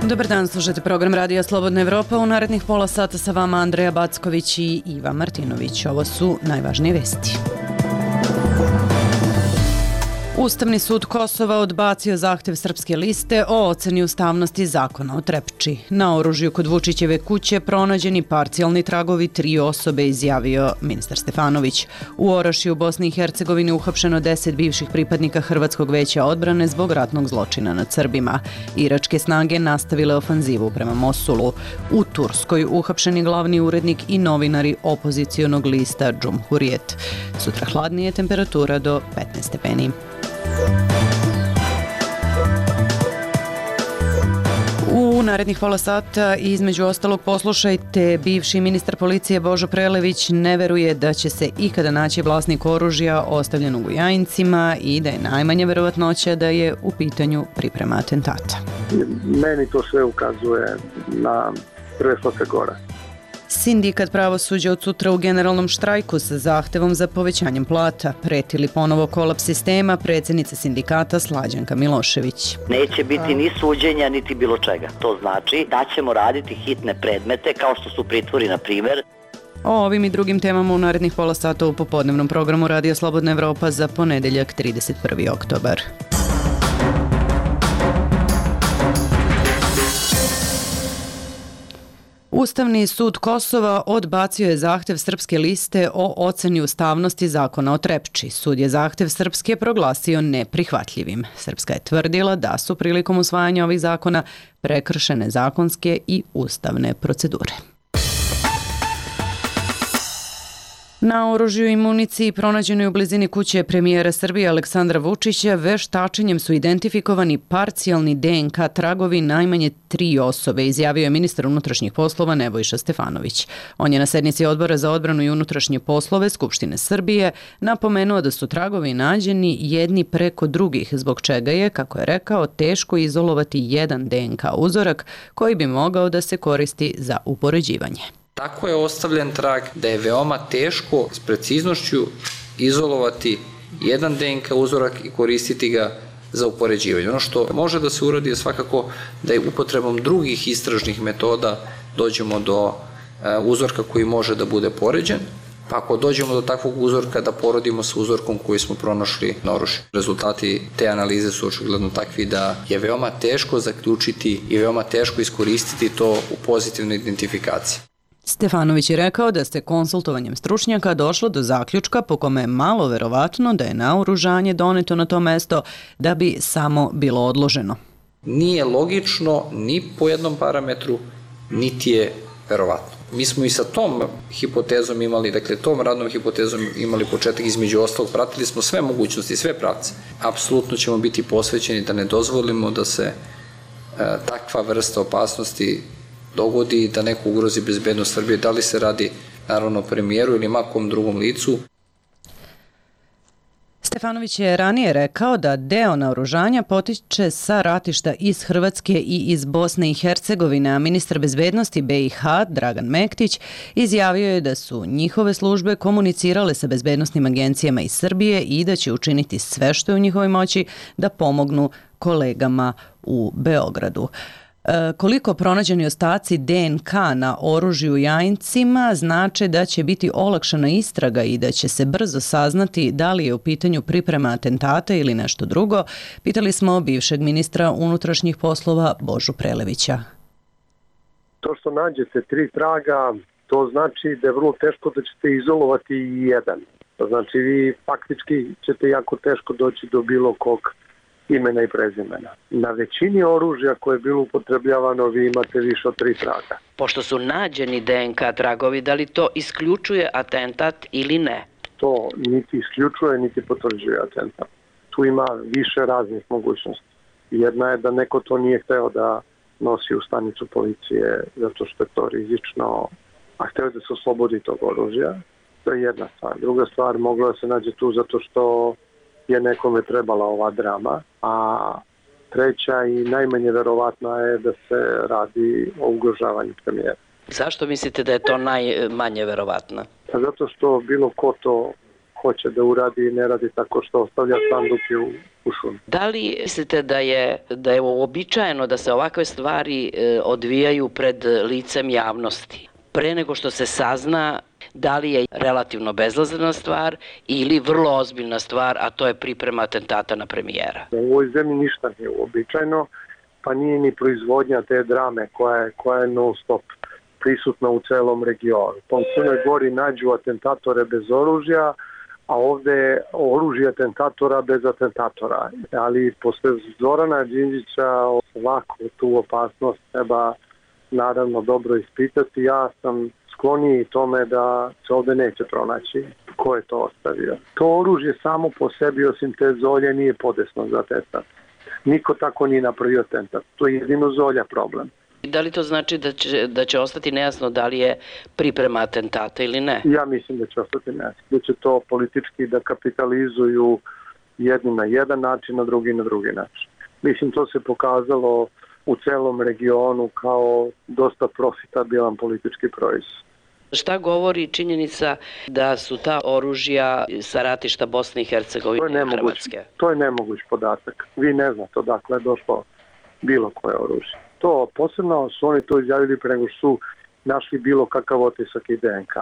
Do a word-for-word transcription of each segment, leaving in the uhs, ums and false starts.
Dobar dan, slušajte program Radija Slobodna Evropa. U narednih pola sata sa vama Andreja Backović i Iva Martinović. Ovo su najvažnije vesti. Ustavni sud Kosova odbacio zahtev Srpske liste o oceni ustavnosti zakona o Trepči. Na oružju kod Vučićeve kuće pronađeni parcijalni tragovi tri osobe, izjavio ministar Stefanović. U Orašju u Bosni i Hercegovini uhapšeno deset bivših pripadnika Hrvatskog veća odbrane zbog ratnog zločina nad Srbima. Iračke snage nastavile ofanzivu prema Mosulu. U Turskoj uhapšeni glavni urednik i novinari opozicionog lista Džumhurijet. Sutra hladnije, temperatura do petnaest stepeni. U narednih pola sata između ostalog poslušajte, bivši ministar policije Božo Prelević ne veruje da će se ikada naći vlasnik oružja ostavljenog u Jajincima i da je najmanja verovatnoća da je u pitanju priprema atentata. Meni to sve ukazuje na preslote gore. Sindikat pravosuđa od sutra u generalnom štrajku sa zahtevom za povećanjem plata. Pretili ponovo kolaps sistema predsjednica sindikata Slađanka Milošević. Neće biti ni suđenja, niti bilo čega. To znači da ćemo raditi hitne predmete, kao što su pritvori, na primjer. O ovim i drugim temama u narednih pola sata u popodnevnom programu Radija Slobodna Evropa za ponedeljak trideset prvi oktobar. Ustavni sud Kosova odbacio je zahtev Srpske liste o oceni ustavnosti zakona o Trepči. Sud je zahtev Srpske proglasio neprihvatljivim. Srpska je tvrdila da su prilikom usvajanja ovih zakona prekršene zakonske i ustavne procedure. Na oružju i municiji pronađenoj u blizini kuće premijera Srbije Aleksandra Vučića veštačenjem su identifikovani parcijalni D N K tragovi najmanje tri osobe, izjavio je ministar unutrašnjih poslova Nebojša Stefanović. On je na sednici Odbora za odbranu i unutrašnje poslove Skupštine Srbije napomenuo da su tragovi nađeni jedni preko drugih, zbog čega je, kako je rekao, teško izolovati jedan D N K uzorak koji bi mogao da se koristi za upoređivanje. Tako je ostavljen trag da je veoma teško s preciznošću izolovati jedan D N K uzorak i koristiti ga za upoređivanje. Ono što može da se uradi je svakako da je upotrebom drugih istražnih metoda dođemo do uzorka koji može da bude poređen, pa ako dođemo do takvog uzorka da porodimo sa uzorkom koji smo pronašli na oružju. Rezultati te analize su očigledno takvi da je veoma teško zaključiti i veoma teško iskoristiti to u pozitivnoj identifikaciji. Stefanović je rekao da se konsultovanjem stručnjaka došlo do zaključka po kome je malo verovatno da je naoružanje doneto na to mesto da bi samo bilo odloženo. Nije logično ni po jednom parametru, niti je verovatno. Mi smo i sa tom hipotezom imali, dakle tom radnom hipotezom imali početak, između ostalog pratili smo sve mogućnosti, sve pravce. Apsolutno ćemo biti posvećeni da ne dozvolimo da se e, takva vrsta opasnosti dogodi i da neko ugrozi bezbednost Srbije, da li se radi naravno o premijeru ili makom drugom licu. Stefanović je ranije rekao da deo naoružanja potiče sa ratišta iz Hrvatske i iz Bosne i Hercegovine, a ministar bezbednosti B i H Dragan Mektić izjavio je da su njihove službe komunicirale sa bezbednosnim agencijama iz Srbije i da će učiniti sve što je u njihovoj moći da pomognu kolegama u Beogradu. Koliko pronađeni ostaci D N K na oružju u Jajincima znače da će biti olakšana istraga i da će se brzo saznati da li je u pitanju priprema atentata ili nešto drugo, pitali smo bivšeg ministra unutrašnjih poslova Božu Prelevića. To što nađete tri traga, to znači da je vrlo teško da ćete izolovati jedan. To znači vi faktički ćete jako teško doći do bilo kog imena i prezimena. Na većini oružja koje je bilo upotrebljavano vi imate više od tri traga. Pošto su nađeni D N K tragovi, da li to isključuje atentat ili ne? To niti isključuje, niti potvrđuje atentat. Tu ima više raznih mogućnosti. Jedna je da neko to nije hteo da nosi u stanicu policije zato što je to rizično, a hteo da se oslobodi tog oružja. To je jedna stvar. Druga stvar, mogla da se nađe tu zato što je nekome trebala ova drama, a treća i najmanje verovatna je da se radi o ugrožavanju premijera. Zašto mislite da je to najmanje verovatno? Zato što bilo ko to hoće da uradi i ne radi tako što ostavlja sanduke u, u šumi. Da li mislite da je, da je uobičajeno da se ovakve stvari e, odvijaju pred licem javnosti? Pre nego što se sazna da li je relativno bezazlena stvar ili vrlo ozbiljna stvar, a to je priprema atentata na premijera? U ovoj zemlji ništa nije uobičajeno, pa nije ni proizvodnja te drame koja je, koja je non stop prisutna u celom regionu. Po Crnoj Gori nađu atentatore bez oružja, a ovde je oružje atentatora bez atentatora. Ali posle Zorana Đinđića ovako tu opasnost treba naravno dobro ispitati. Ja sam skloniji tome da se ovde neće pronaći ko je to ostavio. To oružje samo po sebi, osim te Zolje, nije podesno za atentat. Niko tako nije napravio atentat. To je jedino Zolja problem. Da li to znači da će, da će ostati nejasno da li je priprema atentata ili ne? Ja mislim da će ostati nejasno. Da će to politički da kapitalizuju jedni na jedan način, a drugi na drugi način. Mislim, to se pokazalo u celom regionu kao dosta profitabilan politički proizvod. Šta govori činjenica da su ta oružja sa ratišta Bosne i Hercegovine i Hrvatske? To je nemoguć podatak. Vi ne znate odakle je došlo bilo koje oružje. To posebno su oni to izjavili pre nego su našli bilo kakav otisak i D N K.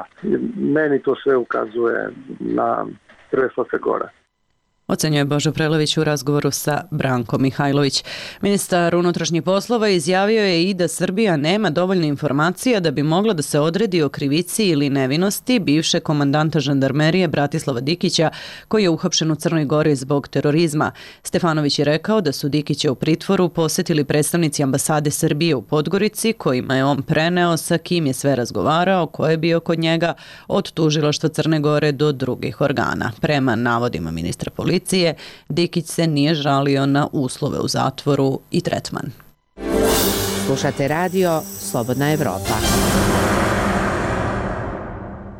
Meni to sve ukazuje na Srpska Gora. Ocenjuje Božo Prelević u razgovoru sa Brankom Mihajlović. Ministar unutrašnjih poslova izjavio je i da Srbija nema dovoljno informacija da bi mogla da se odredi o krivici ili nevinosti bivšeg komandanta žandarmerije Bratislava Dikića, koji je uhapšen u Crnoj Gori zbog terorizma. Stefanović je rekao da su Dikića u pritvoru posetili predstavnici ambasade Srbije u Podgorici, kojima je on preneo sa kim je sve razgovarao, ko je bio kod njega, od tužilaštva Crne Gore do drugih organa. Prema navodima ministra policije, Dikić se nije žalio na uslove u zatvoru i tretman. Slušate radio Slobodna Evropa.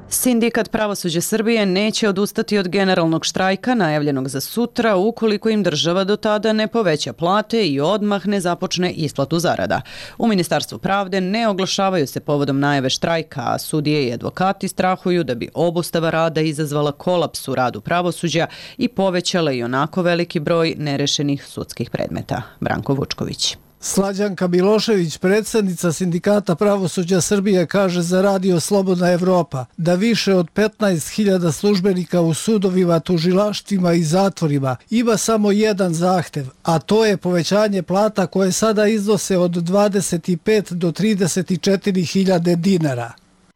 Sindikat Pravosuđa Srbije neće odustati od generalnog štrajka najavljenog za sutra ukoliko im država do tada ne poveća plate i odmah ne započne isplatu zarada. U Ministarstvu pravde ne oglašavaju se povodom najave štrajka, a sudije i advokati strahuju da bi obustava rada izazvala kolaps u radu pravosuđa i povećala i onako veliki broj nerešenih sudskih predmeta. Branko Vučković. Slađanka Milošević, predsjednica Sindikata Pravosuđa Srbije, kaže za radio Slobodna Evropa da više od petnaest hiljada službenika u sudovima, tužilaštvima i zatvorima ima samo jedan zahtev, a to je povećanje plata koje sada iznose od dvadeset pet do trideset četiri hiljade dinara.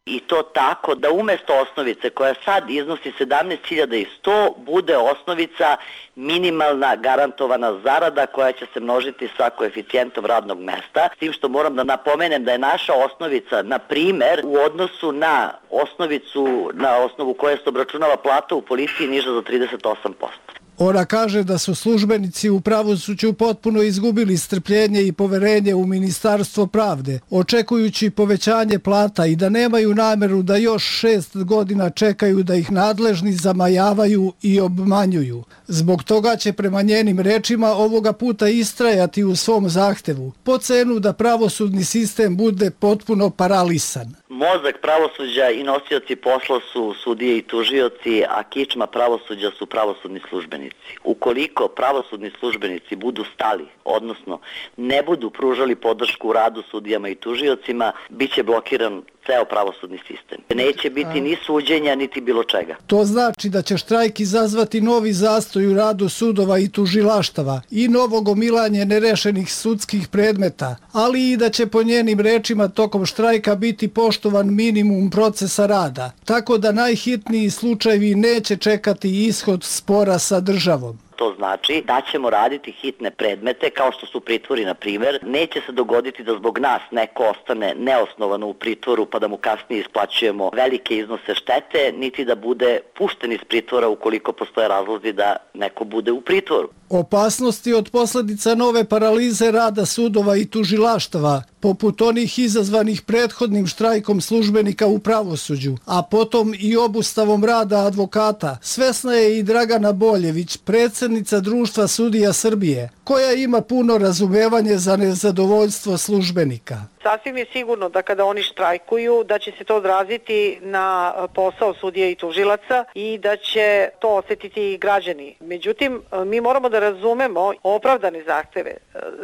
I to tako da umjesto osnovice koja sad iznosi sedamnaest hiljada sto bude osnovica minimalna garantovana zarada koja će se množiti sa koeficijentom radnog mesta. S tim što moram da napomenem da je naša osnovica, na primer, u odnosu na osnovicu na osnovu koje se obračunava plata u policiji niža za trideset osam posto. Ona kaže da su službenici u pravosuđu potpuno izgubili strpljenje i poverenje u Ministarstvo pravde, očekujući povećanje plata i da nemaju nameru da još šest godina čekaju da ih nadležni zamajavaju i obmanjuju. Zbog toga će prema njenim rečima ovoga puta istrajati u svom zahtevu, po cenu da pravosudni sistem bude potpuno paralisan. Mozak pravosuđa i nosioci posla su sudije i tužioci, a kičma pravosuđa su pravosudni službenici. Ukoliko pravosudni službenici budu stali, odnosno ne budu pružali podršku u radu sudijama i tužiocima, bit će blokiran ceo pravosudni sistem. Neće biti ni suđenja, niti bilo čega. To znači da će štrajk izazvati novi zastoj u radu sudova i tužilaštava i novo gomilanje nerešenih sudskih predmeta, ali i da će po njenim rečima tokom štrajka biti poštovan minimum procesa rada, tako da najhitniji slučajevi neće čekati ishod spora sa državom. To znači da ćemo raditi hitne predmete, kao što su pritvori, na primjer. Neće se dogoditi da zbog nas neko ostane neosnovano u pritvoru pa da mu kasnije isplaćujemo velike iznose štete, niti da bude pušten iz pritvora ukoliko postoje razlozi da neko bude u pritvoru. Opasnosti od posljedica nove paralize rada sudova i tužilaštava, poput onih izazvanih prethodnim štrajkom službenika u pravosuđu, a potom i obustavom rada advokata, svesna je i Dragana Boljević, predsjednica Društva sudija Srbije, koja ima puno razumevanje za nezadovoljstvo službenika. Sasvim je sigurno da kada oni štrajkuju, da će se to odraziti na posao sudija i tužilaca i da će to osjetiti i građani. Međutim, mi moramo da razumemo opravdane zahteve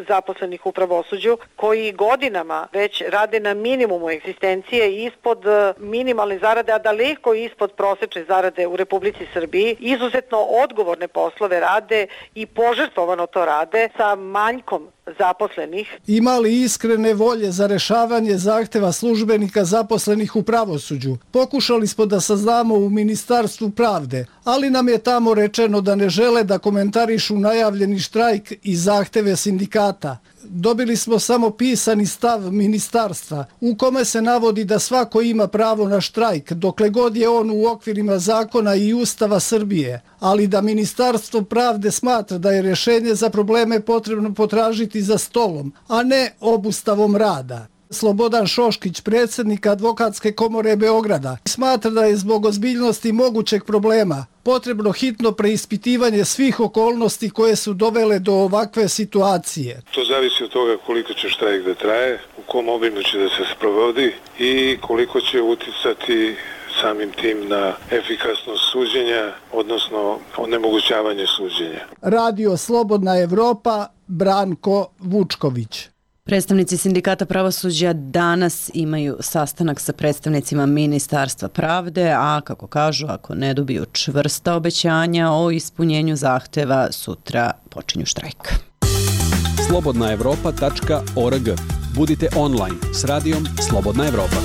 zaposlenih u pravosuđu koji godinama već rade na minimumu egzistencije ispod minimalne zarade, a daleko ispod prosečne zarade u Republici Srbiji. Izuzetno odgovorne poslove rade i požrtvovano to rade sa manjkom zaposlenih. Ima li iskrene volje za rešavanje zahteva službenika zaposlenih u pravosuđu? Pokušali smo da saznamo u Ministarstvu pravde, ali nam je tamo rečeno da ne žele da komentarišu najavljeni štrajk i zahteve sindikata. Dobili smo samo pisani stav ministarstva u kome se navodi da svako ima pravo na štrajk dokle god je on u okvirima zakona i Ustava Srbije, ali da Ministarstvo pravde smatra da je rješenje za probleme potrebno potražiti za stolom, a ne obustavom rada. Slobodan Šoškić, predsjednik Advokatske komore Beograda, smatra da je zbog ozbiljnosti mogućeg problema potrebno hitno preispitivanje svih okolnosti koje su dovele do ovakve situacije. To zavisi od toga koliko će štrajk da traje, u kom obimu će da se sprovodi i koliko će uticati samim tim na efikasnost suđenja, odnosno onemogućavanje suđenja. Radio Slobodna Evropa, Branko Vučković. Predstavnici sindikata pravosuđa danas imaju sastanak sa predstavnicima Ministarstva pravde, a kako kažu, ako ne dobiju čvrsta obećanja o ispunjenju zahteva, sutra počinju štrajk. slobodna evropa tačka org. Budite online s radijom Slobodna Evropa.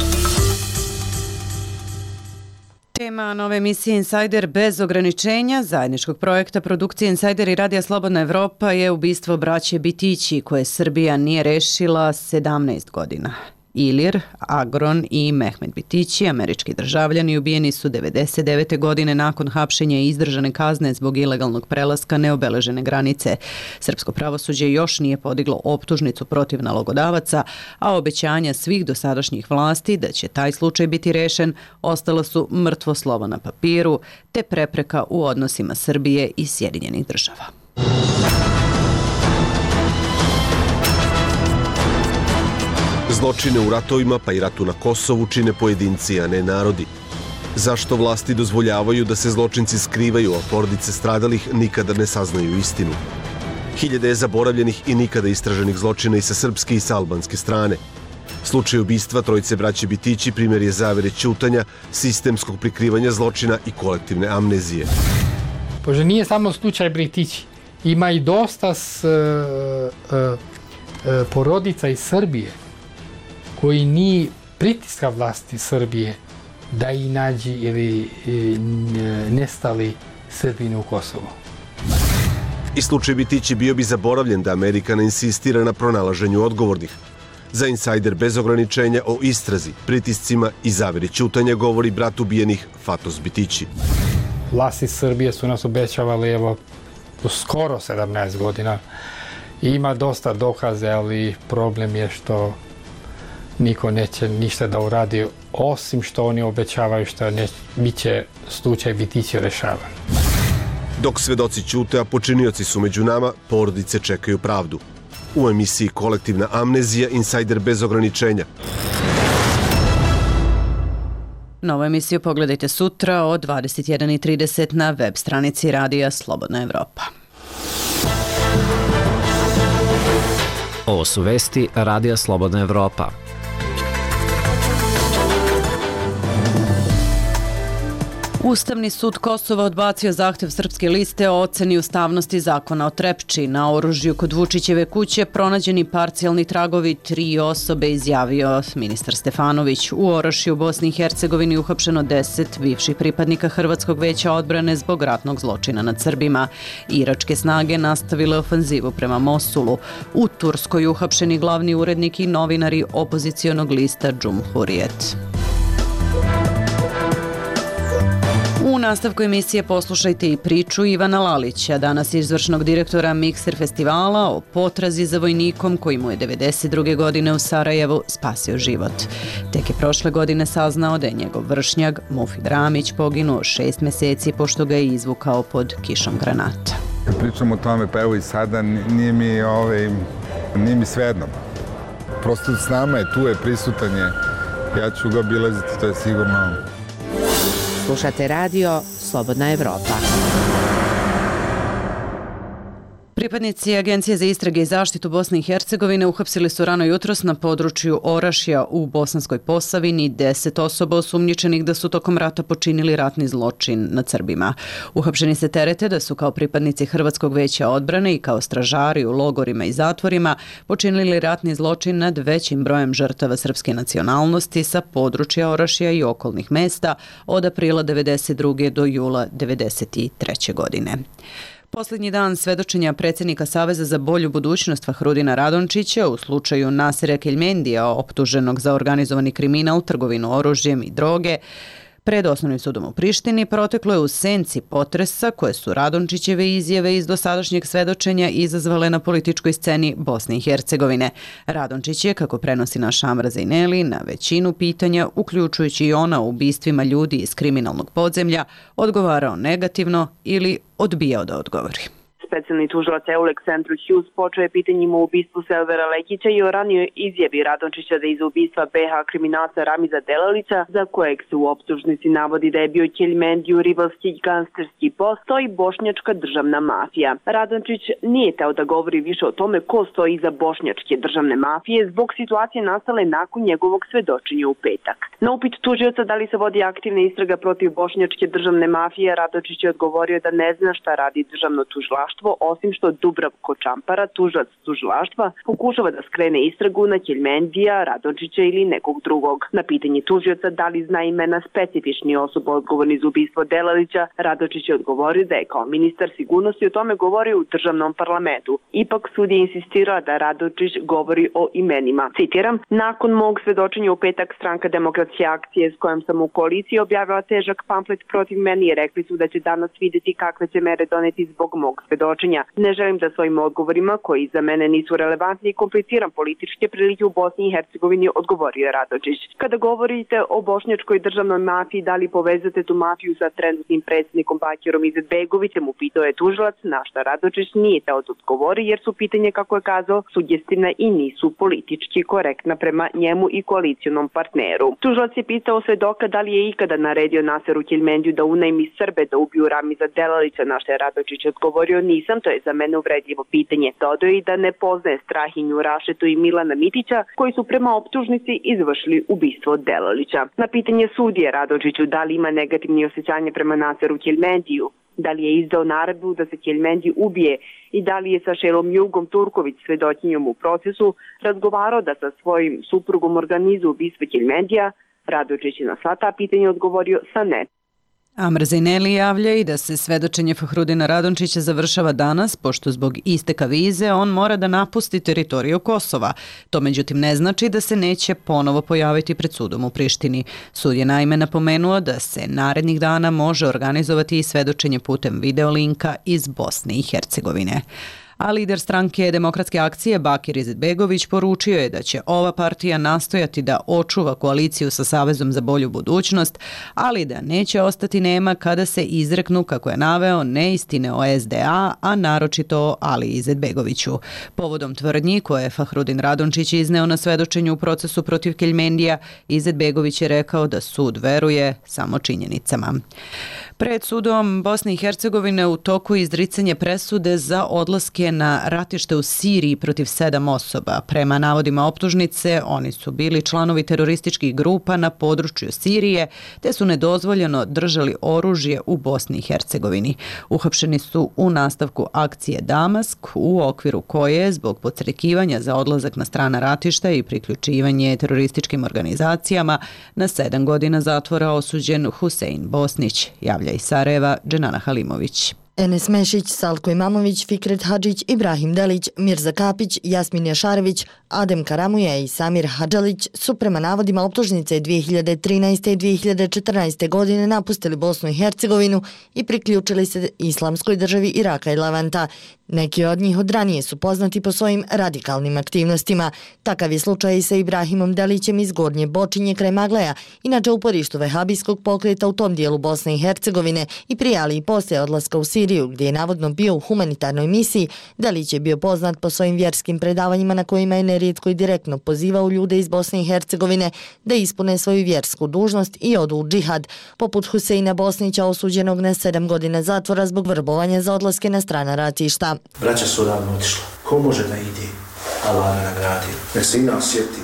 Tema nove emisije Insider bez ograničenja zajedničkog projekta produkcije Insider i Radija Slobodna Evropa je ubistvo braće Bitići koje Srbija nije rešila sedamnaest godina. Ilir, Agron i Mehmet Bitići, američki državljani, ubijeni su devedeset devete godine nakon hapšenja i izdržane kazne zbog ilegalnog prelaska neobeležene granice. Srpsko pravosuđe još nije podiglo optužnicu protiv nalogodavaca, a obećanja svih dosadašnjih vlasti da će taj slučaj biti rešen ostala su mrtvo slovo na papiru, te prepreka u odnosima Srbije i Sjedinjenih država. Zločine u ratovima, pa i ratu na Kosovu, čine pojedinci, a ne narodi. Zašto vlasti dozvoljavaju da se zločinci skrivaju, a porodice stradalih nikada ne saznaju istinu? Hiljade je zaboravljenih i nikada istraženih zločina i sa srpske i sa albanske strane. Slučaj ubistva trojice braće Bitići primjer je zavere ćutanja, sistemskog prikrivanja zločina i kolektivne amnezije. Pože nije samo slučaj Bitići. Ima i dosta s, uh, uh, porodica iz Srbije koji ni pritiska vlasti Srbije da i nađi ili nestali Srbini u Kosovu. I slučaj Bitići bio bi zaboravljen da Amerika ne insistira na pronalaženju odgovornih. Za Insider bez ograničenja o istrazi, pritiscima i zaveri ćutanja govori brat ubijenih Fatos Bitići. Vlasti Srbije su nas obećavali evo skoro sedamnaest godina. Ima dosta dokaze, ali problem je što niko neće ništa da uradi, osim što oni obećavaju što ne, bit će slučaj Bitići rešavan. Dok svedoci ćute, a počinioci su među nama, porodice čekaju pravdu. U emisiji Kolektivna amnezija, Insider bez ograničenja. Novu emisiju pogledajte sutra od dvadeset jedan i trideset na web stranici Radija Slobodna Evropa. Ovo su vesti Radija Slobodna Evropa. Ustavni sud Kosova odbacio zahtev Srpske liste o oceni ustavnosti zakona o Trepči. Na oružju kod Vučićeve kuće pronađeni parcijalni tragovi tri osobe, izjavio ministar Stefanović. U Orošju u Bosni i Hercegovini uhapšeno deset bivših pripadnika Hrvatskog veća odbrane zbog ratnog zločina nad Srbima. Iračke snage nastavile ofanzivu prema Mosulu. U Turskoj uhapšeni glavni urednik i novinari opozicionog lista Džumhurijet. U nastavku emisije poslušajte i priču Ivana Lalića, danas izvršnog direktora Mikser festivala, o potrazi za vojnikom koji mu je devedeset druge godine u Sarajevu spasio život. Tek je prošle godine saznao da je njegov vršnjak Mufid Ramić poginuo šest meseci pošto ga je izvukao pod kišom granata. Kad pričam o tome, pa evo i sada, nije mi, ovaj, nije mi svejedno. Prosto s nama je, tu je, prisutan je. Ja ću ga obilaziti, to je sigurno. Slušate radio Slobodna Evropa. Pripadnici Agencije za istrage i zaštitu Bosne i Hercegovine uhapsili su rano jutros na području Orašja u Bosanskoj Posavini deset osoba osumnjičenih da su tokom rata počinili ratni zločin nad Srbima. Uhapšeni se terete da su kao pripadnici Hrvatskog veća odbrane i kao stražari u logorima i zatvorima počinili ratni zločin nad većim brojem žrtava srpske nacionalnosti sa područja Orašja i okolnih mesta od aprila devedeset druge do jula devedeset treće godine. Posljednji dan svedočenja predsjednika Saveza za bolju budućnost Fahrudina Radončića u slučaju Nasira Keljmendija, optuženog za organizovani kriminal, trgovinu oružjem i droge, pred Osnovnim sudom u Prištini proteklo je u senci potresa koje su Radončićeve izjave iz dosadašnjeg svedočenja izazvale na političkoj sceni Bosne i Hercegovine. Radončić je, kako prenosi naš Amra Zejneli, na većinu pitanja, uključujući i ona o ubistvima ljudi iz kriminalnog podzemlja, odgovarao negativno ili odbijao da odgovori. Specijalni tužilac Eulek Centru Hughes počeo je pitanjima o ubistvu Selvera Lekića i o ranijoj izjavi Radončića da iz ubistva be ha kriminalca Ramiza Delalića, za kojeg se u optužnici navodi da je bio Keljmendiju rivalski gangsterski bos, stoji bošnjačka državna mafija. Radončić nije teo da govori više o tome ko stoji iza bošnjačke državne mafije zbog situacije nastale nakon njegovog svedočenja u petak. Na upit tužioca da li se vodi aktivna istraga protiv bošnjačke državne mafije, Radončić je odgovorio da ne zna šta radi državno tužilaštvo, osim što Dubravko Čampara, tužilac tužilaštva, pokušava da skrene istragu na Keljmendija, Radončića ili nekog drugog. Na pitanje tužioca da li zna imena specifičnih osoba odgovorni za ubistvo Delalića, Radončić je odgovorio da je kao ministar sigurnosti o tome govorio u državnom parlamentu. Ipak sud je insistirao da Radončić govori o imenima. Citiram, nakon mog svedočenja u petak Stranka demokratske akcije s kojom sam u koaliciji objavila težak pamflet protiv meni i rekli su da će danas vidjeti kakve će mere doneti zbog mog svedočenja. Ne želim da svojim odgovorima, koji za mene nisu relevantni i kompliciram političke prilike u Bosni i Hercegovini, odgovorio Radončić. Kada govorite o bošnjačkoj državnoj mafiji, da li povezate tu mafiju sa trenutnim predsjednikom Bakirom Izetbegovićem, upitao je tužilac, na šta Radončić nije teo da odgovori jer su pitanje, kako je kazao, sugestivna i nisu politički korektna prema njemu i koalicijonom partneru. Tužilac je pitao svedoka da li je ikada naredio Nasiru Keljmendiju da unajmi Srbe da ubiju Ramiza Delalića, na šta je Radončić odgovorio, nisam, to je za mene uvredljivo pitanje. Dodao i da ne poznaje Strahinju Rašetu i Milana Mitića, koji su prema optužnici izvršili ubistvo Delalića. Na pitanje sudije Radončiću da li ima negativni osjećanje prema Nasiru Keljmendiju, da li je izdao naredbu da se Keljmendi ubije i da li je sa Šelom Jugom Turković, svedočinjom u procesu, razgovarao da sa svojim suprugom organizuje ubistvo Keljmendija, Radončić je na sva ta pitanja odgovorio sa ne. Amr Zejneli javlja i da se svedočenje Fahrudina Radončića završava danas, pošto zbog isteka vize on mora da napusti teritoriju Kosova. To međutim ne znači da se neće ponovo pojaviti pred sudom u Prištini. Sud je naime napomenuo da se narednih dana može organizovati i svedočenje putem videolinka iz Bosne i Hercegovine. A lider stranke Demokratske akcije Bakir Izetbegović poručio je da će ova partija nastojati da očuva koaliciju sa Savezom za bolju budućnost, ali da neće ostati nema kada se izreknu, kako je naveo, neistine o es de a, a naročito o Ali Izetbegoviću. Povodom tvrdnji koje je Fahrudin Radončić izneo na svedočenju u procesu protiv Keljmendija, Izetbegović je rekao da sud veruje samo činjenicama. Pred sudom Bosne i Hercegovine u toku izricanje presude za odlaske na ratište u Siriji protiv sedam osoba. Prema navodima optužnice, oni su bili članovi terorističkih grupa na području Sirije, te su nedozvoljeno držali oružje u Bosni i Hercegovini. Uhapšeni su u nastavku akcije Damask, u okviru koje, zbog podstrekivanja za odlazak na strana ratišta i priključivanje terorističkim organizacijama, na sedam godina zatvora osuđen Husein Bosnić, javlja iz Sarajeva Dženana Halimović. Enes Mešić, Salko Imamović, Fikret Hadžić, Ibrahim Delić, Mirza Kapić, Jasmin Jašarević, Adem Karamuja i Samir Hadžalić su prema navodima optužnice dvije hiljade trinaeste i dvije hiljade četrnaeste. godine napustili Bosnu i Hercegovinu i priključili se Islamskoj državi Iraka i Levanta. Neki od njih od ranije su poznati po svojim radikalnim aktivnostima. Takav je slučaj i sa Ibrahimom Delićem iz Gornje Bočinje kraj Magleja, inače uporištu vehabijskog pokreta u tom dijelu Bosne i Hercegovine i prije, ali i poslije odlaska u Siriju, gdje je navodno bio u humanitarnoj misiji. Delić je bio poznat po svojim vjerskim predavanjima na kojima je nerijetko i direktno pozivao ljude iz Bosne i Hercegovine da ispune svoju vjersku dužnost i odu u džihad, poput Huseina Bosnića osuđenog na sedam godina zatvora zbog vrbovanja za odlaske na strana ratišta. Braća su odavno otišla. Ko može da ide? Allah ga nagradio. Nek se i nas sjeti,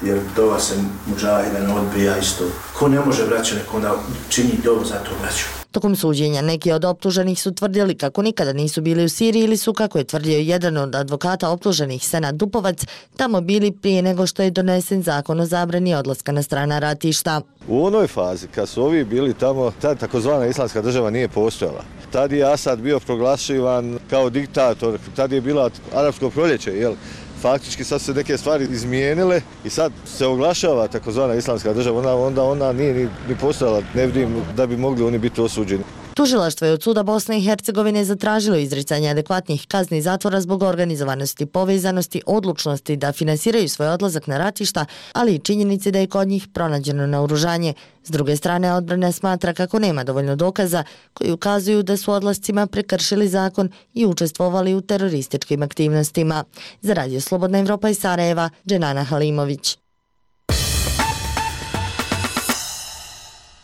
jer dova se muđahida ne odbija isto. Ko ne može braća, nek onda čini dovu za to braću. Tokom suđenja neki od optuženih su tvrdili kako nikada nisu bili u Siriji ili su, kako je tvrdio jedan od advokata optuženih, Senad Dupovac, tamo bili prije nego što je donesen zakon o zabrani odlaska na strana ratišta. U onoj fazi kad su ovi bili tamo, ta takozvana islamska država nije postojala. Tad je Asad bio proglašivan kao diktator, tad je bila arapsko proljeće, jel? Faktički sad se neke stvari izmijenile i sad se oglašava takozvana islamska država, onda, onda ona nije ni, ni postojala, ne vidim da bi mogli oni biti osuđeni. Tužilaštvo je od suda Bosne i Hercegovine zatražilo izricanje adekvatnih kazni zatvora zbog organizovanosti, povezanosti, odlučnosti da finansiraju svoj odlazak na ratišta, ali i činjenice da je kod njih pronađeno naoružanje. S druge strane, odbrana smatra kako nema dovoljno dokaza koji ukazuju da su odlascima prekršili zakon i učestvovali u terorističkim aktivnostima. Za Radio Slobodna Evropa iz Sarajeva, Dženana Halimović.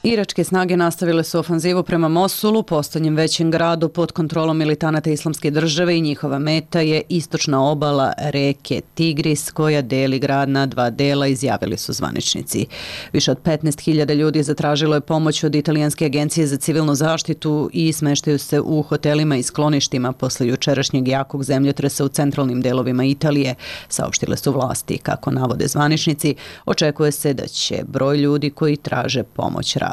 Iračke snage nastavile su ofanzivu prema Mosulu, posljednjem većem gradu pod kontrolom militanata Islamske države, i njihova meta je istočna obala reke Tigris, koja deli grad na dva dela, izjavili su zvaničnici. Više od petnaest hiljada ljudi zatražilo je pomoć od Italijanske agencije za civilnu zaštitu i smeštaju se u hotelima i skloništima posle jučerašnjeg jakog zemljotresa u centralnim delovima Italije, saopštile su vlasti. Kako navode zvaničnici, očekuje se da će broj ljudi koji traže pomoć rasti.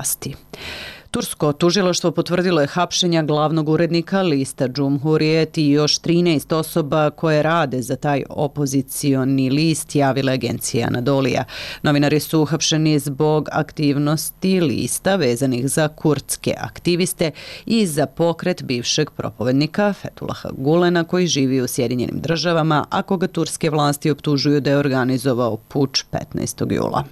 Tursko tužilaštvo potvrdilo je hapšenja glavnog urednika lista Cumhuriyet i još trinaest osoba koje rade za taj opozicioni list, javila agencija Anadolija. Novinari su uhapšeni zbog aktivnosti lista vezanih za kurdske aktiviste i za pokret bivšeg propovednika Fethullaha Gulena, koji živi u Sjedinjenim državama, a koga turske vlasti optužuju da je organizovao puč petnaestog jula.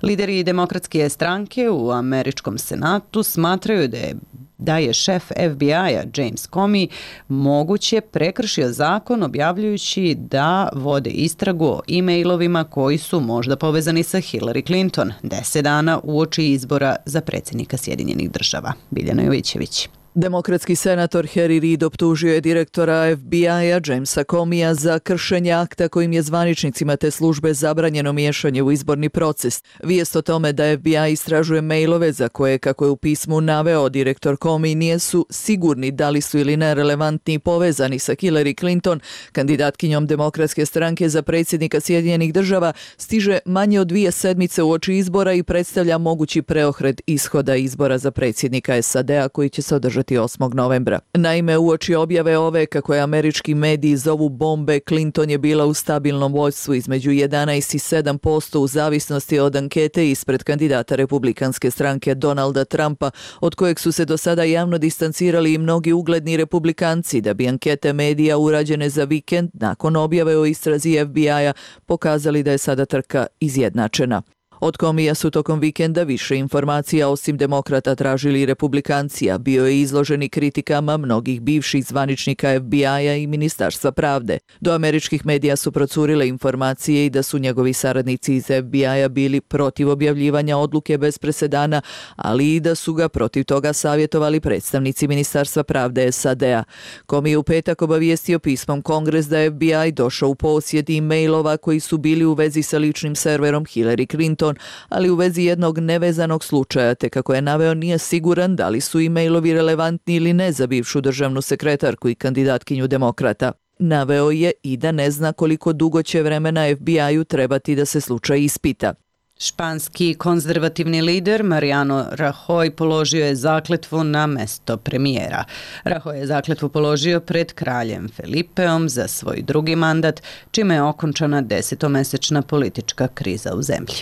Lideri demokratske stranke u američkom senatu smatraju da je da je šef F B I-a James Comey moguće prekršio zakon objavljujući da vode istragu o e-mailovima koji su možda povezani sa Hillary Clinton deset dana uoči izbora za predsjednika Sjedinjenih država. Biljana Jovićević. Demokratski senator Harry Reid optužio je direktora F B I-a Jamesa Comeyja za kršenje akta kojim je zvaničnicima te službe zabranjeno miješanje u izborni proces. Vijest o tome da F B I istražuje mailove za koje, kako je u pismu naveo direktor Comey, nisu sigurni da li su ili ne relevantni i povezani sa Hillary Clinton, kandidatkinjom demokratske stranke za predsjednika Sjedinjenih država, stiže manje od dvije sedmice uoči izbora i predstavlja mogući preokret ishoda izbora za predsjednika S A D-a koji će se održati osmog novembra. Naime, uoči objave ove, kako je američki mediji zovu bombe, Clinton je bila u stabilnom vođstvu između jedanaest i sedam posto u zavisnosti od ankete ispred kandidata republikanske stranke Donalda Trumpa, od kojeg su se do sada javno distancirali i mnogi ugledni republikanci, da bi ankete medija urađene za vikend nakon objave o istrazi F B I-a pokazali da je sada trka izjednačena. Od Comeyja su tokom vikenda više informacija osim demokrata tražili republikanci, a bio je izloženi kritikama mnogih bivših zvaničnika F B I-a i Ministarstva pravde. Do američkih medija su procurile informacije i da su njegovi saradnici iz F B I-a bili protiv objavljivanja odluke bez presedana, ali i da su ga protiv toga savjetovali predstavnici Ministarstva pravde S A D-a. Comey je u petak obavijestio pismom Kongres da F B I došao u posjed e-mailova koji su bili u vezi sa ličnim serverom Hillary Clinton, ali u vezi jednog nevezanog slučaja, te kako je naveo nije siguran da li su e-mailovi relevantni ili ne za bivšu državnu sekretarku i kandidatkinju demokrata. Naveo je i da ne zna koliko dugo će vremena F B I-u trebati da se slučaj ispita. Španski konzervativni lider Mariano Rajoy položio je zakletvu na mesto premijera. Rajoy je zakletvu položio pred kraljem Felipeom za svoj drugi mandat, čime je okončana desetomesečna politička kriza u zemlji.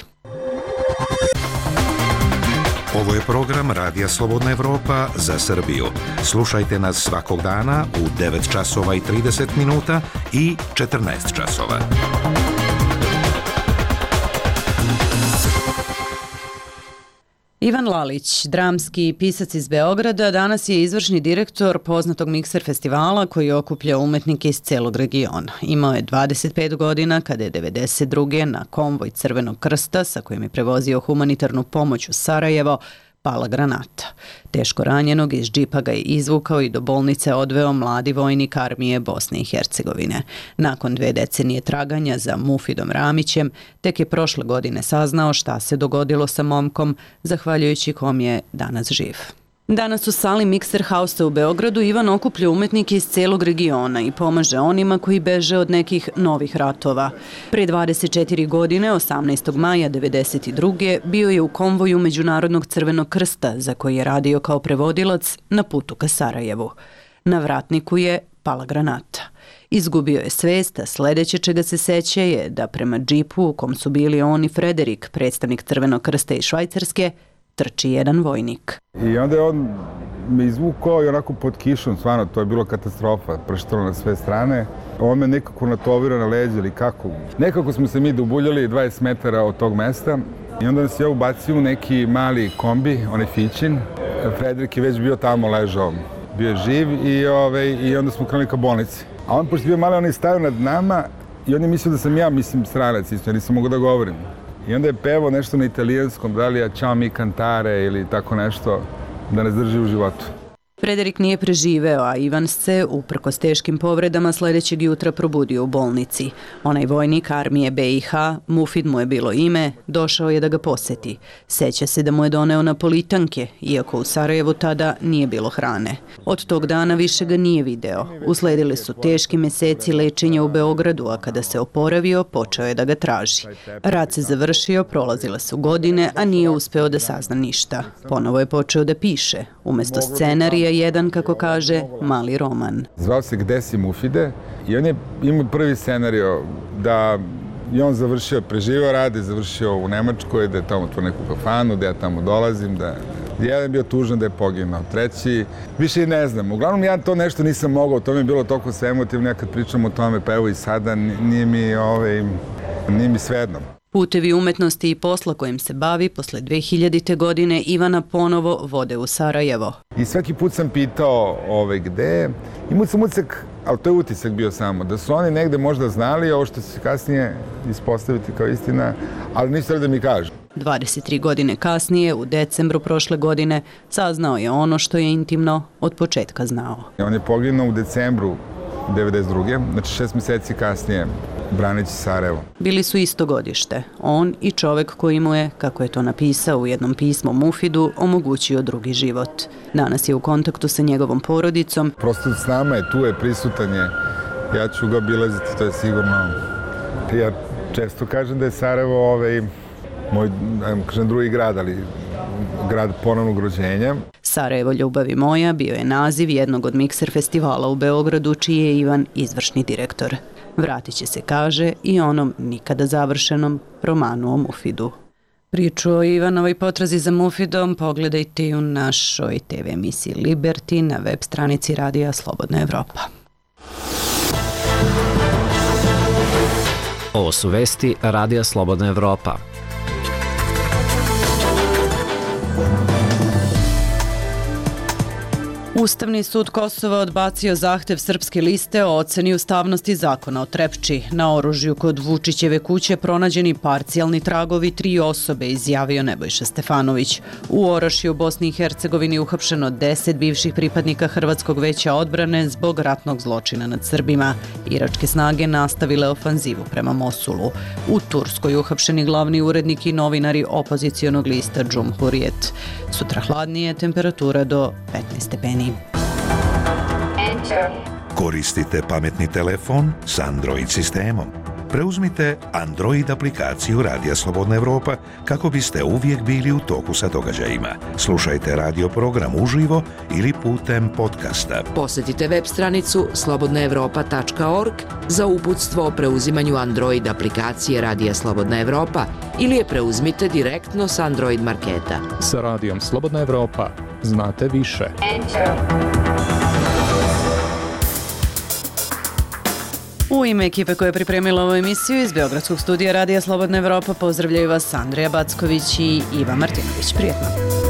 Ovo je program Radija Slobodna Evropa za Srbiju. Slušajte nas svakog dana u devet časova i trideset minuta i četrnaest časova. Ivan Lalić, dramski pisac iz Beograda, danas je izvršni direktor poznatog Mikser festivala koji okuplja umetnike iz celog regiona. Imao je dvadeset pet godina kada je devedeset druge na konvoj Crvenog krsta sa kojim je prevozio humanitarnu pomoć u Sarajevo pala granata. Teško ranjenog iz džipa ga je izvukao i do bolnice odveo mladi vojnik armije Bosne i Hercegovine. Nakon dve decenije traganja za Mufidom Ramićem, tek je prošle godine saznao šta se dogodilo sa momkom, zahvaljujući kom je danas živ. Danas u sali Mikser Hausa u Beogradu Ivan okuplja umetnike iz celog regiona i pomaže onima koji beže od nekih novih ratova. Pre dvadeset četiri godine, osamnaestog maja devedeset druge bio je u konvoju Međunarodnog Crvenog krsta za koji je radio kao prevodilac na putu ka Sarajevu. Na vratniku je pala granata. Izgubio je svest, a sledeće čega se seća je da prema džipu u kom su bili on i Frederik, predstavnik Crvenog krsta iz Švajcarske, trči jedan vojnik. I onda je on me izvukao i onako pod kišom, stvarno, to je bilo katastrofa, prštalo na sve strane. On me nekako natovirao na leđe ili kako. Nekako smo se mi dobuljali dvadeset metara od tog mesta i onda nas je ubacio u neki mali kombi, onaj Fićin. Frederik je već bio tamo ležao, bio je živ i, ove, i onda smo krenuli ka bolnici. A on, pošto je bio mali, on je stavio nad nama i on je mislio da sam ja, mislim, stranac isto, ja nisam mogao da govorim. I onda je pevao nešto na italijanskom, da li je Ciao mi cantare ili tako nešto, da nas drži u životu. Frederik nije preživeo, a Ivan se, uprkos teškim povredama, sledećeg jutra probudio u bolnici. Onaj vojnik armije B i H, Mufid mu je bilo ime, došao je da ga poseti. Seća se da mu je doneo napolitanke, iako u Sarajevu tada nije bilo hrane. Od tog dana više ga nije video. Usledili su teški meseci lečenja u Beogradu, a kada se oporavio, počeo je da ga traži. Rat se završio, prolazile su godine, a nije uspeo da sazna ništa. Ponovo je počeo da piše. Umesto scenarija, jedan, kako kaže, mali roman. Zvao se Gde si Mufide i on je imao prvi scenario da je on završio, preživio rade, završio u Nemačkoj, da je tamo otvorio neku kafanu, da ja tamo dolazim, da jedan je bio tužan da je poginuo, treći, više i ne znam. Uglavnom ja to nešto nisam mogao, to mi je bilo toliko sve emotivno, ja kad pričam o tome, pa evo i sada, nije mi, ovaj, nije mi svejedno. Putevi umetnosti i posla kojim se bavi posle dve hiljadite. godine Ivana ponovo vode u Sarajevo. I svaki put sam pitao ove, gde, imao sam utisak, ali to je utisak bio samo, da su oni negde možda znali ovo što će se kasnije ispostaviti kao istina, ali nisu da mi kažu. dvadeset tri godine kasnije, u decembru prošle godine, saznao je ono što je intimno od početka znao. On je poginuo u decembru devedeset druge. znači šest meseci kasnije, braneći Sarajevo. Bili su isto godište. On i čovek koji mu je, kako je to napisao u jednom pismu Mufidu, omogućio drugi život. Danas je u kontaktu sa njegovom porodicom. Prosto s nama je, tu je, prisutan je. Ja ću ga obilaziti, to je sigurno. Ja često kažem da je Sarajevo ovaj, moj, kažem, drugi grad, ali grad ponovnog rođenja. Sarajevo ljubavi moja bio je naziv jednog od Mikser festivala u Beogradu, čiji je Ivan izvršni direktor. Vratit će se, kaže, i onom nikada završenom romanu o Mufidu. Priču o Ivanovoj potrazi za Mufidom pogledajte i u našoj te ve emisiji Liberty na web stranici Radija Slobodna Evropa. Ovo su vesti Radija Slobodna Evropa. Ustavni sud Kosova odbacio zahtev Srpske liste o oceni ustavnosti zakona o Trepči. Na oružju kod Vučićeve kuće pronađeni parcijalni tragovi tri osobe, izjavio Nebojša Stefanović. U Orašju u Bosni i Hercegovini uhapšeno deset bivših pripadnika Hrvatskog veća odbrane zbog ratnog zločina nad Srbima. Iračke snage nastavile ofanzivu prema Mosulu. U Turskoj uhapšeni glavni urednik i novinari opozicionog lista Džumhurijet. Sutra hladnije, temperatura do petnaest stepeni. Koristite pametni telefon s Android sistemom. preuzmite Android aplikaciju Radija Slobodna Evropa kako biste uvijek bili u toku sa događajima. Slušajte radio program uživo ili putem podcasta. Posjetite web stranicu slobodna evropa tačka org za uputstvo o preuzimanju Android aplikacije Radija Slobodna Evropa ili je preuzmite direktno s Android marketa. Sa Radijom Slobodna Evropa znate više. U ime ekipe koja je pripremila ovu emisiju iz Beogradskog studija Radija Slobodna Evropa pozdravljaju vas Andrija Backović i Iva Martinović. Prijetno!